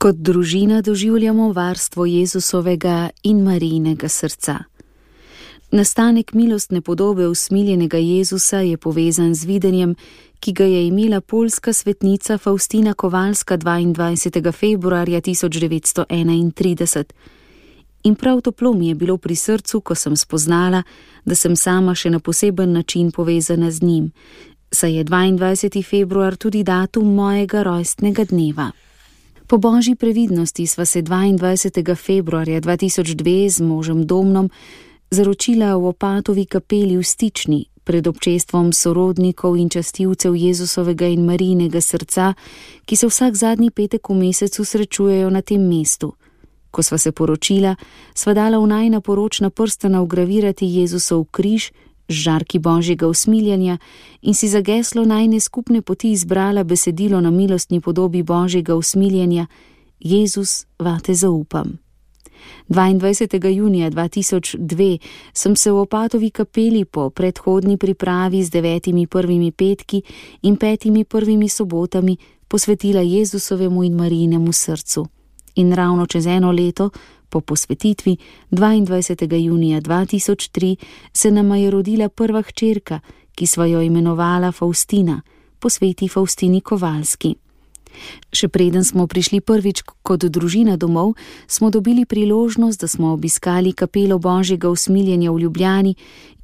Kot družina doživljamo varstvo Jezusovega in Marijinega srca. Nastanek milostne podobe usmiljenega Jezusa je povezan z videnjem, ki ga je imela poljska svetnica Faustina Kowalska 22. februarja 1931. In prav toplo mi je bilo pri srcu, ko sem spoznala, da sem sama še na poseben način povezana z njim, saj je 22. februar tudi datum mojega rojstnega dneva. Po božji previdnosti sva se 22. februarja 2002 z možem Domnom zaročila v Opatovi kapeli v Stični pred občestvom sorodnikov in častilcev Jezusovega in Marijinega srca, ki se vsak zadnji petek v mesecu srečujejo na tem mestu. Ko sva se poročila, sva dala v najina poročna prstana vgravirati Jezusov križ z žarki božjega usmiljanja in si za geslo najine skupne poti izbrala besedilo na milostni podobi božjega usmiljanja: Jezus, vate zaupam. 22. junija 2002 sem se v Opatovi kapeli po predhodni pripravi z 9 prvimi petki in 5 prvimi sobotami posvetila Jezusovemu in Marijinemu srcu. In ravno čez eno leto, po posvetitvi, 22. junija 2003, se nama je rodila prva hčerka, ki sva jo imenovala Faustina, po sveti Faustini Kowalski. Še preden smo prišli prvič kot družina domov, smo dobili priložnost, da smo obiskali kapelo božjega usmiljenja v Ljubljani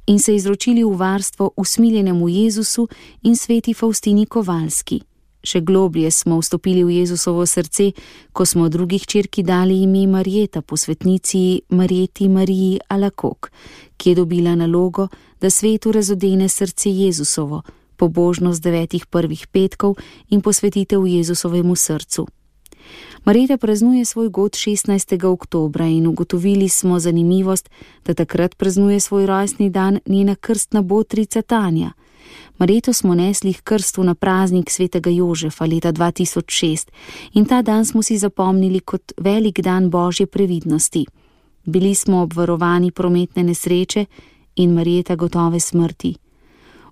in se izročili v varstvo usmiljenemu Jezusu in sveti Faustini Kowalski. Še globlje smo vstopili v Jezusovo srce, ko smo drugi hčerki dali ime Marjeta po svetnici Marjeti Mariji Alakok, ki je dobila nalogo, da svetu razodene srce Jezusovo, pobožnost 9 prvih petkov in posvetitev Jezusovemu srcu. Marjeta praznuje svoj god 16. oktobra in ugotovili smo zanimivost, da takrat praznuje svoj rojstni dan njena krstna botrica Tanja. Marjeto smo nesli k krstu na praznik svetega Jožefa leta 2006 in ta dan smo si zapomnili kot velik dan božje previdnosti. Bili smo obvarovani prometne nesreče in Marjeta gotove smrti.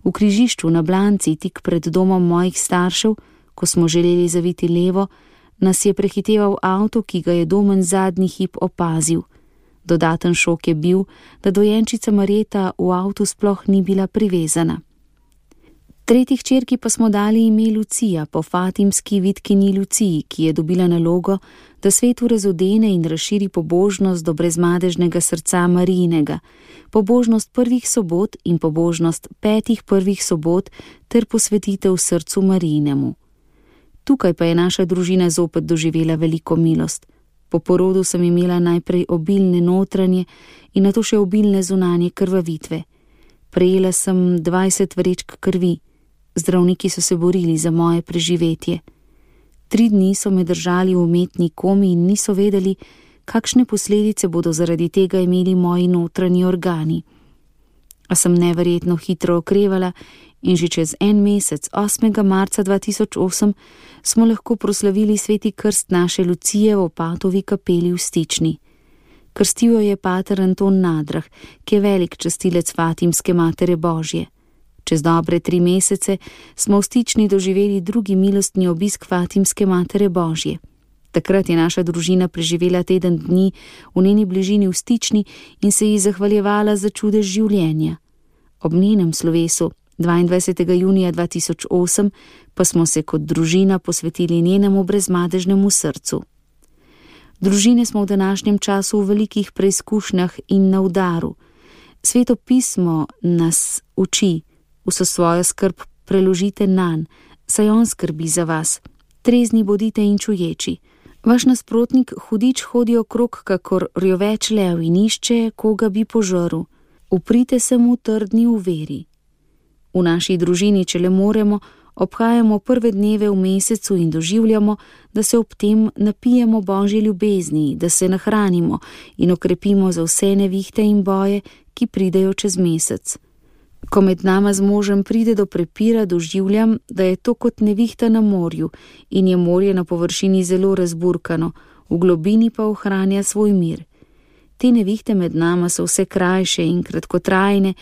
V križišču na Blanci, tik pred domom mojih staršev, ko smo želeli zaviti levo, nas je prehiteval avto, ki ga je Domen zadnji hip opazil. Dodaten šok je bil, da dojenčica Marjeta v avtu sploh ni bila privezana. Tretji hčerki pa smo dali ime Lucija po fatimski vitkini Luciji, ki je dobila nalogo, da svetu razodene in razširi pobožnost do brezmadežnega srca Marijinega, pobožnost prvih sobot in pobožnost 5 prvih sobot ter posvetitev srcu Marijinemu. Tukaj pa je naša družina zopet doživela veliko milost. Po porodu sem imela najprej obilne notranje in nato še obilne zunanje krvavitve. Prejela sem 20 vrečk krvi. Zdravniki so se borili za moje preživetje. 3 dni so me držali v umetni komi in niso vedeli, kakšne posledice bodo zaradi tega imeli moji notranji organi. A sem neverjetno hitro okrevala in že čez en mesec, 8. marca 2008, smo lahko proslavili sveti krst naše Lucije v Opatovi kapeli v Stični. Krstil jo je pater Anton Nadrah, ki je velik častilec Fatimske Matere Božje. Čez dobre 3 mesece smo v Stični doživeli drugi milostni obisk Fatimske Matere Božje. Takrat je naša družina preživela teden dni v njeni bližini v Stični in se ji zahvaljevala za čudež življenja. Ob njenem slovesu 22. junija 2008 pa smo se kot družina posvetili njenemu brezmadežnemu srcu. Družine smo v današnjem času v velikih preizkušnjah in na udaru. Sveto pismo nas uči: vso svojo skrb preložite nanj, saj on skrbi za vas. Trezni bodite in čuječi. Vaš nasprotnik hudič hodi okrog kakor rjoveč lev in išče, koga bi požrl. Uprite se mu trdni v veri. V naši družini, če le moremo, obhajamo prve dneve v mesecu in doživljamo, da se ob tem napijemo božje ljubezni, da se nahranimo in okrepimo za vse nevihte in boje, ki pridejo čez mesec. Ko med nama z možem pride do prepira, doživljam, da je to kot nevihta na morju in je morje na površini zelo razburkano, v globini pa ohranja svoj mir. Te nevihte med nama so vse krajše in kratkotrajne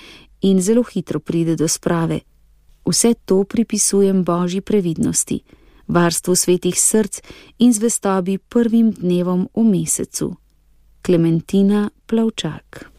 in zelo hitro pride do sprave. Vse to pripisujem božji previdnosti. varstvu svetih src in zvestobi prvim dnevom v mesecu. Klementina Plavčak.